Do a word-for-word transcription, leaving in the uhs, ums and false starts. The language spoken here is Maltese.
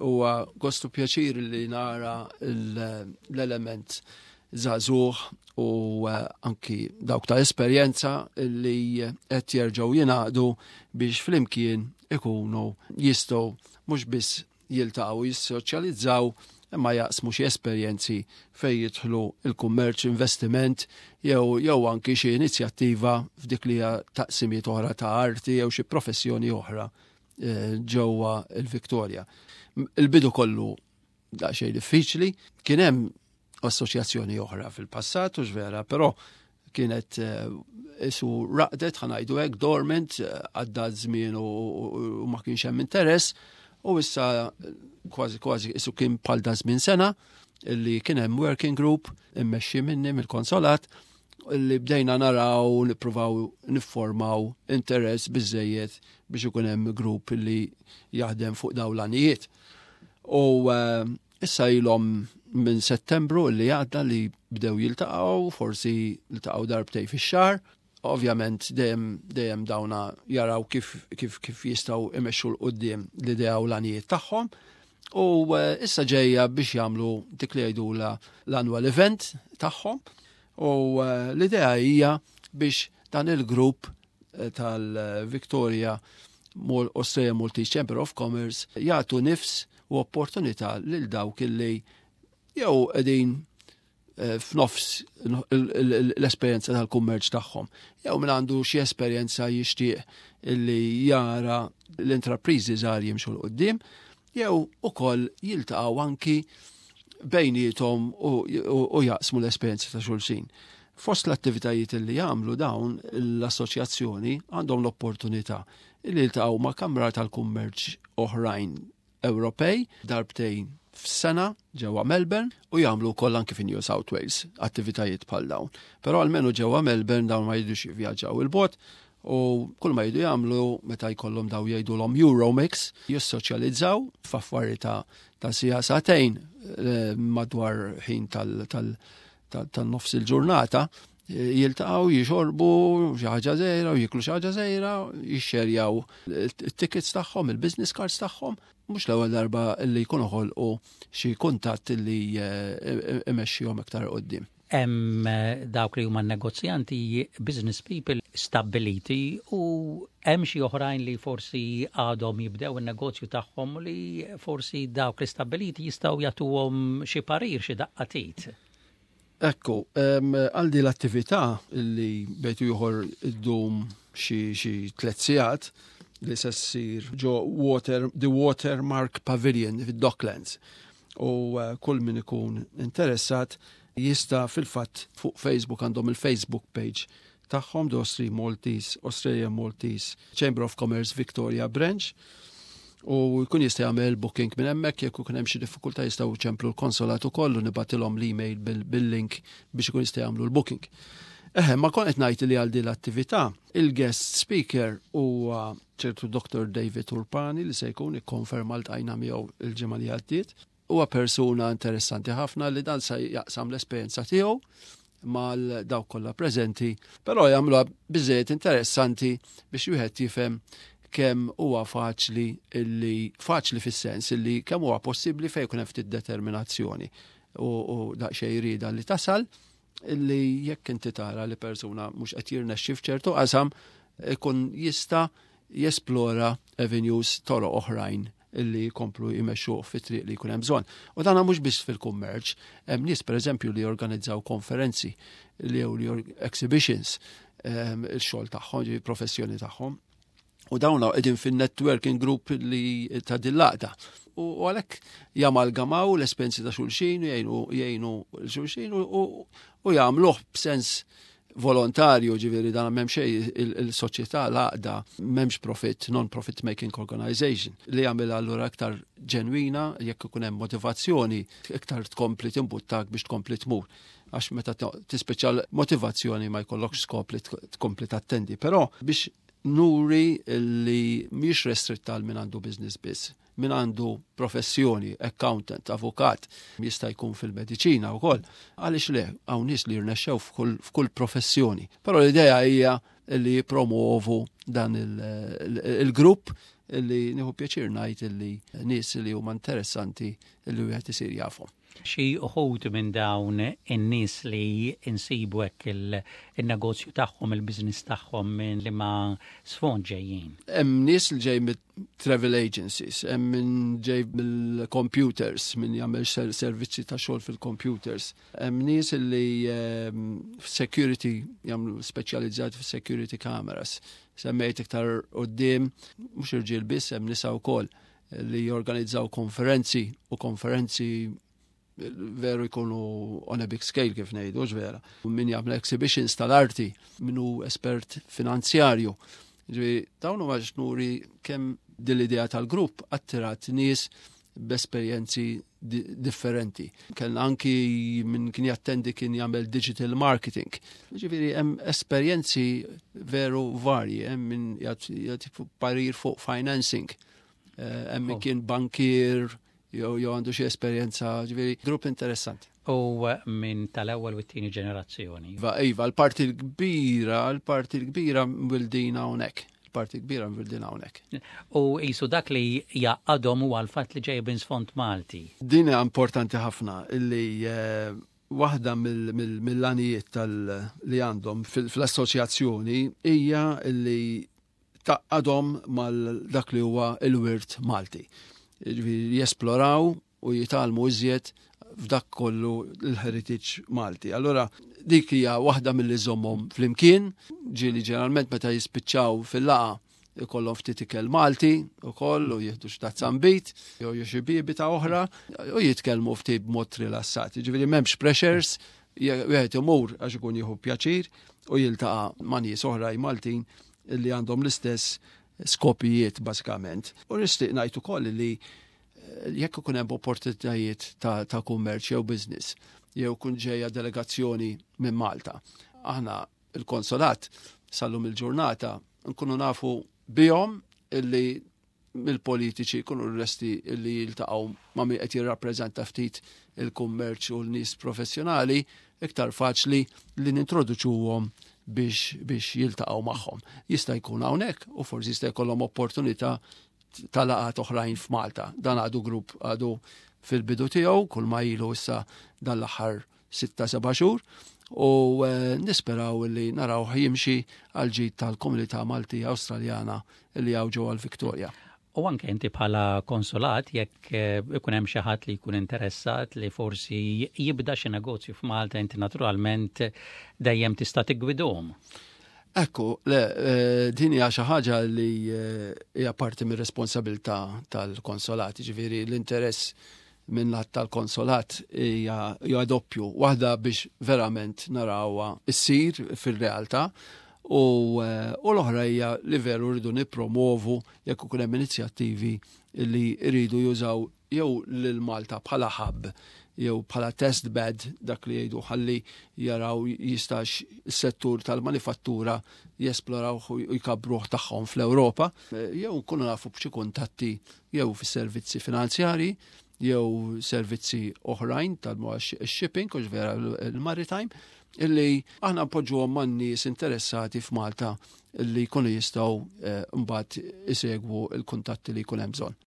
Huwa gost u pjaċir li nara l-element żagħżugħ u eh, anki dawk ta' esperjenza li qed jerġgħu jingħaqdu biex flimkien ikunu jistgħu mhux biss jiltaqgħu, jissoċjalizzaw, imma jaqsmu xi esperjenzi fejn jidħlu il-kummerċ, investiment jew jew anki xi inizjattiva f'dik li hija taqsimiet oħra ta' arti jew xi professjoni oħra eh, ġewwa il-Viktoria. Il-bidu kollu daqsxejn diffiċli, kien hemm assoċjazzjoni oħra fil-passat u vera, però kienet eh, isu raqdet, ħa ngħidu hekk, dormant, eh, għadda żmien u ma kienx hemm interess, u issa kważi kważi isu kien bħal da żmien sena illi kien hemm working group immexxi minni mill-konsolat li bdejna naraw, nippruvaw niffurmaw interess biżejjed biex ikun hemm grupp li jaħdem fuq dawn l-għanijiet. U uh, issa ilhom minn Settembru li għadda li bdew jiltaqgħu, forsi jiltaqgħu darbtejn fix-xahar. Ovvjament dejjem dejjem dawna jaraw kif kif kif jistgħu imexxu 'l quddiem l-idea u l-għanijiet tagħhom. U eh, issa ġejja biex jagħmlu dik li jgħidula l-annual event tagħhom. U eh, l-idea hija biex dan il-grupp eh, tal-Victoria Australia Maltese Chamber of Commerce jagħtu nifs u opportunità lil dawk illi jew qegħdin Eh, f'nofs l-esperjenza tal-kummerċ tagħhom. Jew min għandu xi esperjenza jixtieq illi jara l-intrapriżi żgħar jimxu 'l quddiem, jew ukoll jiltaqgħu anki bejniethom u jaqsmu l-esperjenza ta' xulxin. Fost l-attivitajiet li jagħmlu dawn l-assoċjazzjoni, għandhom l-opportunità li jiltaqgħu ma' kamra tal-kummerċ oħrajn Ewropej darbtejn f'sena ġewwa Melbourne u jagħmlu wkoll anki fi New South Wales attivitajiet bħal dawn. Però almenu ġewwa Melbourne dawn ma jridux jivvjaġġaw 'il bogħod u kull ma jridu jagħmlu meta jkollhom daw jgħidulhom Euromix, jissoċjalizzaw f'affari ta' ta' siegħa, sagħtejn eh, madwar ħin tal-nofs il-ġurnata, eh, jiltaqgħu, jixorbu xi ħaġa żgħira u jiklu xi ħaġa żgħira, jixxerjaw it-tickets tagħhom, il-business cards tagħhom. Mhux l-ewwel darba li jkunu ħolqu xi kuntatt li eh, imexxihom iktar quddiem. Hemm eh, dawk li huma negozjanti, business people stabiliti, u hemm xi oħrajn li forsi għadhom jibdew in-negozju tagħhom li forsi dawk li stabiliti jistgħu jagħtuhom xi parir, xi daqqa t'id. Ekku, għal di l-attività li bejn ieħor iddum xi tliet sigħat li se ssir ġo Water, the Watermark Pavilion fid-Docklands. U uh, kull min ikun interessat jista' fil-fatt fuq Facebook, għandhom il-Facebook page tagħhom, the Australia Maltese, Australia Maltese Chamber of Commerce Victoria Branch, u jkun jista' jagħmel booking minn hemmhekk. Jekk ikun hemm xi diffikultà, jistgħu jċemplu l-konsolat ukoll u nibgħatilhom l-email bil-link biex ikun jista' jagħmlu l-booking. Eħe, ma kont qed ngħid li għal din l-attività il-guest speaker huwa ċertu Doctor David Urpani li se jkun ikkonferma, ltqajna miegħu il-ġimgħa li għaddiet. Huwa persuna interessanti ħafna li dan se jaqsam l-esperjenza tiegħu mal dawk kollha preżenti, però jagħmluha biżejjed interessanti biex wieħed jifhem kemm huwa faċli, illi faċli fis-sens illi kemm huwa possibbli fejn jkun hemm ftit determinazzjoni u, u daqsxejn rieda li tasal, illi jekk inti tara li persuna mhux qed jirnexxi f'ċertu qasam, ikun jista' jesplora avenues, toroq oħrajn illi jkomplu jmexxu fit-triq li jkun hemm bżonn. U dan mhux biss fil-kummerċ, hemm nies, pereżempju, li jorganizzaw konferenzi li jew li exhibitions, ehm, il-xogħol tagħhom, ġi professjoni tagħhom. U dawn qegħdin fin-networking group li ta' dil-laqda. U għalhekk jamalgamaw l-esperjenzi ta' xulxin, jgħinu jgħinu xulxin u jagħmluh b'sens volontarju, ġifieri dan m'hemm xejn, il-soċjetà, l-għaqda m'hemmx profit, non-profit making organization, li jagħmel allura aktar ġenwina. Jekk ikun hemm motivazzjoni, iktar tkompli timbuttak biex tkompli tmur, għax meta tispeċa motivazzjoni ma jkollokx skop li tkompli tattendi. Però biex nuri li mhix restritta għal min għandu business biss, min għandu professjoni, accountant, avukat, jista' jkun fil-mediċina wkoll. Għaliex le, hawn nies li jirnexxew f'kull professjoni. Però l-idea hija li jipromuovu dan il-grupp. Illi nieħu pjaċir ngħid illi nies li huma interessanti illi wieħed isir jafhom. Xi uħud minn dawn in-nies li insibu hekk il-negozju tagħhom, il-business tagħhom, minn liema sfond ġejjin? Hemm nies li ġej mit-travel agencies, hemm min ġej mill-computers, min jagħmel servizzi ta' xogħol fil-computers. Hemm nies li ehm, security, jagħmlu speċjalizzati fis-security cameras. Semmejt iktar quddiem, mhux irġiel biss, hemm nisa wkoll li jorganizzaw konferenzi, u konferenzi veru jkunu on a big scale, kif ngħidu, vera. Min jagħmel exhibitions tal-arti, min hu espert finanzjarju. Ġifieri dawn huma nuri kemm dil-idea tal-grupp attirat nies b'esperjenzi differenti. Kellna anki min kien jattendi kien jagħmel digital marketing. Ġifieri hemm esperjenzi veru varji, hemm min jagħti parir fuq financing, eh, hemm min oh. kien bankier, jew jew għandu xi esperjenza, ġifieri grupp interessanti. U minn tal-ewwel u t-tieni ġenerazzjoni. Iva, iva, l-parti l-kbira, l-parti l-kbira mwildin hawnhekk. L-parti kbira mwildin hawnhekk. U jisu dak li jgħaqqadhom huwa l-fatt li ġej minn sfond Malti. Din hija importanti ħafna illi eh, waħda mill-għanijiet li għandhom fl-assoċjazzjoni hija illi tgħaqqadhom ma' dak li huwa il-wirt Malti, jesploraw u jitgħallmu iżjed f'dak kollu l-heritage Malti. Allora, dik hija waħda milli żżommhom flimkien, ġieli ġeneralment meta jispiċċaw fil-laqgħa ikollhom ftit ikel Malti ukoll u jieħdu xi tazza nbid jew xi bibita oħra u jitkellmu ftit b'mod rilassat. Ġifieri m'hemmx pressures, wieħed imur għax ikun jieħu pjaċir u jiltaqa' ma' nies oħra Maltin li għandhom l-istess skopijiet bażikament. U nixtieq ngħid ukoll li eh, jekk ikun hemm opportunitajiet ta', ta kummerċ jew business jew kun ġejja delegazzjoni minn Malta. Aħna il-konsolat sal-lum il-ġurnata nkunu nafu bihom illi mill-politiċi kunu l-resti illi jiltaqgħu ma' min qed jirrappreżenta ftit il-kummerċ u l-nies professjonali, iktar faċli li nintroduċuhom biex, biex jiltaqgħu magħhom. Jista' jkun hawnhekk u forsi jista' jkollhom opportunità tal-laqgħat oħrajn f'Malta. Dan għadu grupp għadu fil-bidu tiegħu, kull ma ilu issa dan l-aħħar sitta seba' xhur u eh, nisperaw li naraw jimxi għal ġid tal-komunità Malti Awstraljana li hawn ġewwa l-Victoria. U anke inti bħala konsulat, jekk eh, ikun hemm xi ħadd li jkun interessat li forsi jibda xi negozju f'Malta, inti naturalment dejjem tista' tiggwidhom. Ekku, le, eh, din hija xi ħaġa li eh, hija parti mir-responsabilità tal-konsolat, ġifieri l-interess minn lat tal-konsolat hija doppju. Waħda biex verament narawha issir fil-realtà u, eh, u l-oħra hija li veru rridu nippromovu jekk ikun hemm inizjattivi li rridu jużaw jew lil Malta bħala hub jew bħala test bed, dak li jgħidu, ħalli jaraw jistax is-settur tal-manifattura jesploraw u jkabbruh tagħhom fl-Ewropa, jew nkunu nafu b'xi kuntatti jew fis-servizzi finanzjari jew servizzi oħrajn tal-shipping, u vera il-maritime, illi aħna npoġġuhom man nies interessati f'Malta illi jkunu jistgħu eh, mbagħad isegwu l-kuntatti li jkun hemm bżonn.